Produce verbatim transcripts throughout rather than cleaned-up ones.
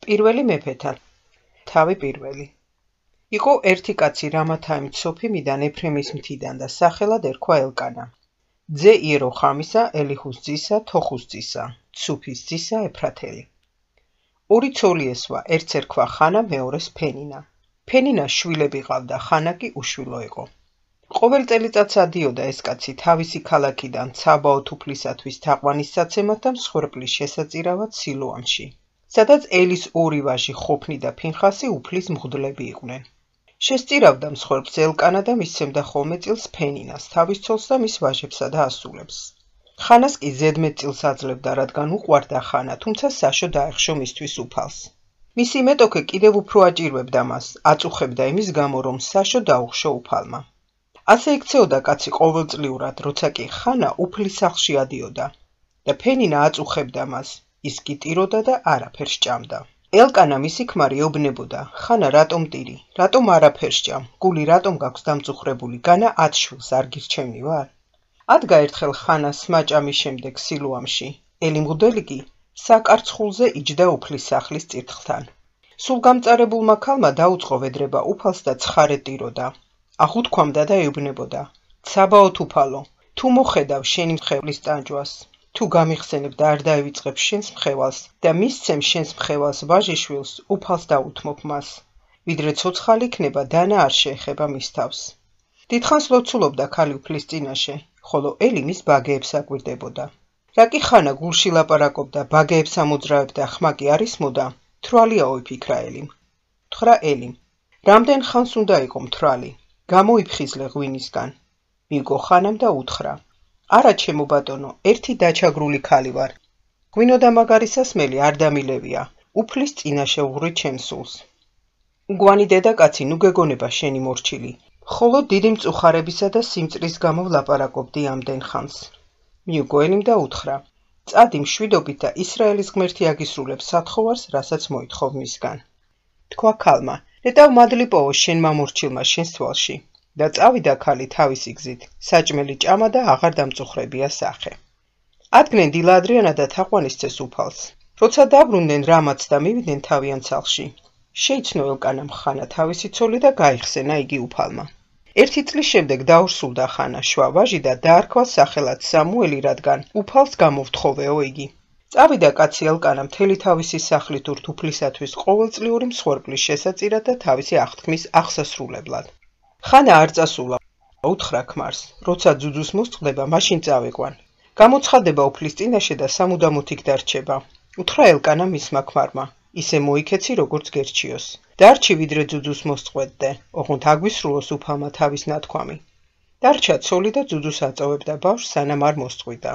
პირველი მეფეთან. თავი პირველი. იყო ერთი კაცი რამათაიმ ცოფიმიდან ეფრემის მთიდან და სახელად ერქვა ელკანა. ძე იეროხამისა, ელიხუს ძისა, თოხუს ძისა, ცუფის ძისა ეფრათელი. ორი ცოლი ესვა, ერთს ერქვა ხანა, მეორეს ფენინა. ფენინას შვილები ყავდა, ხანა კი უშვილო იყო. ყოველ წელიწადს ადიოდა ეს კაცი თავისი ქალაქიდან ცაბაოთ უფლისათვის თაყვანისცემად და მსხვერპლის შესაწირავად სილოამში, სადაც ელის ორი ვაჟი ხოფნი და ფინხასი უფლის მღვდლები იყვნენ. შესწირავდა მსხვერპლს ელკანა და მისცემდა ხოლმე წილს ფენინას, თავის ცოლს და მის ვაჟებსა და ასულებს. ხანას კი ზედმეტ წილს აძლევდა, რადგან უყვარდა ხანა, თუმცა საშო დაეხშო მისთვის უფალს. მისი მეტოქე კიდევ უფრო აჭირვებდა მას, აწუხებდა იმის გამო, რომ საშო დაუხშო უფალმა. ასე იქცეოდა კაცი ყოველწლიურად, როცა კი ხანა უფლის სახლში ადიოდა და ფენინა აწუხებდა მას, ის კი ტიროდა და არაფერს ჭამდა. ელკანა მისი ქმარი ეუბნებოდა, ხანა რატომ ტირი, რატომ არაფერს ჭამ, გული რატომ გაქვს დამწუხრებული, განა ათ შვილს არ გირჩევნი ვარ? ადგა ერთხელ ხანა სმაჭამის შემდეგ სილოამში, ელი მღვდელი კი საკარცხულზე იჯდა უფლის სახლის წირთხლთან. სულ გამწარებულმა ქალმა დაუწყო ვედრება უფალს და ცხარე ტიროდა. აღუთქვამდა და ეუბნებოდა, ცაბაოთ უფალო, თუ მოხედავ შენი მხევლის ტანჯვას, თუ გამიხსენებ და არ დაევიწყებ შენს მხევალს და მისცემ შენს მხევალს ვაჟიშვილს, უფალს დაუთმობ მას, ვიდრე ცოცხალი იქნება დანა არ შეეხება მის თავს. დიდხანს ლოცულობდა ქალი უფლის წინაშე, ხოლო ელი მის ბაგეებს აკვირდებოდა. რა კი ხანა გულში ლაპარაკობდა, ბაგეებს ამოძრავებდა, ხმა კი არ ისმოდა, თვალიაო იფიქრა ელიმ. თხრა ელიმ, რამდენ ხანს უნდა იყო მთვრალი? გამოიფხიზლე ღვინისგან. მიიგო ხანამ და უთხრა, არა ჩემო ბატონო, ერთი დაჩაგრული ქალი ვარ. ღვინო და მაგარი სასმელი არ დამილევია, უფლის წინაშე ვღვრით ჩემს სულს. მგვანი დედაკაცი, ნუ გეგონება შენი მორჩილი, ხოლო დიდი მწუხარებისა და სიმწრის გამო ვლაპარაკობდი ამდენ ხანს. მიიგო ელიმ და უთხრა, წადი მშვიდობით და ისრაელის ღმერთი აგისრულებს სათხოვარს, რასაც მოითხოვ მისგან. თქვა ქალმა, ნეტავ მადლიპოვო შენ მამორჩილმა შენს თვალში და წავიდა ქალი თავისი გზით, საჭმელი ჭამა და აღარ დამწუხრებია სახე. ადგნენ დილა ადრიანა და თაყვანისცეს უფალს. როცა დაბრუნდნენ რამაც და მივიდნენ თავიანთ სახლში, შეიცნო ელკანამ ხანა თავისი ცოლი და გაიხსენა იგი უფალმა. ერთი წლის შემდეგ დაორსულდა ხანა შვა ვაჟი და დაარქვა სახელად სამუელი, რადგან უფალს გამოვთხოვეო იგი. წავიდა კაცი ელკანა მთელი თავისი სახლით ურთ უფლისათვის ყოველწლიური მსხვერპლის შესაწირად და თავისი აღთქმის აღსასრულებლად. ხანა არ წასულა, უთხრა ქმარს, როცა ძუძუს მოსწყდება, მაშინ წავიყვან. გამოცხადება უფლის წინაშე და სამუდამოდ იქ დარჩება. უთხრა ელკანა მისმა ქმარმა, ისე მოიქეცი როგორც გერჩიოს. დარჩი ვიდრე ძუძუს მოსწყვეტდე, ოღონდ აგვისრულოს უფალმა თავის ნათქვამი. დარჩა ცოლი და ძუძუს აწოვებდა ბავშვს, სანამ არ მოსწყვიტა.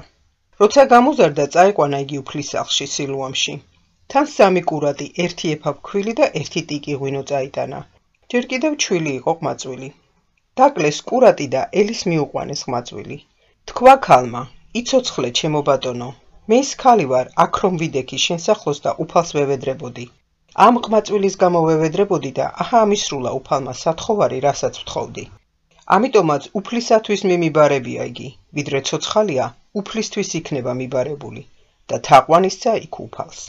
როცა გამოზარდა, წაიყვანა იგი უფლის სახლში სილოამში. თან სამი კურატი, ერთი ეფაფქვილი და ერთი ტიკი ღვინო წაიტანა. ჯერ კიდევ ჩვილი იყო ყმაწვილი. დაკლეს კურატი და ელის მიუყვანეს ყმაწვილი. თქვა ქალმა, იცოცხლე ჩემო ბატონო, მე ის ქალი ვარ, აქ რომ ვიდექი შენ სახლოს და უფალს ვევედრებოდი. ამ ყმაწვილის გამო ვევედრებოდი და აჰა ამისრულა უფალმა სათხოვარი, რასაც ვთხოვდი. ამიტომაც უფლისათვის მე მიბარებია იგი, ვიდრე ცოცხალია, უფლისთვის იქნება მიბარებული და თაყვანისცა იქ უფალს.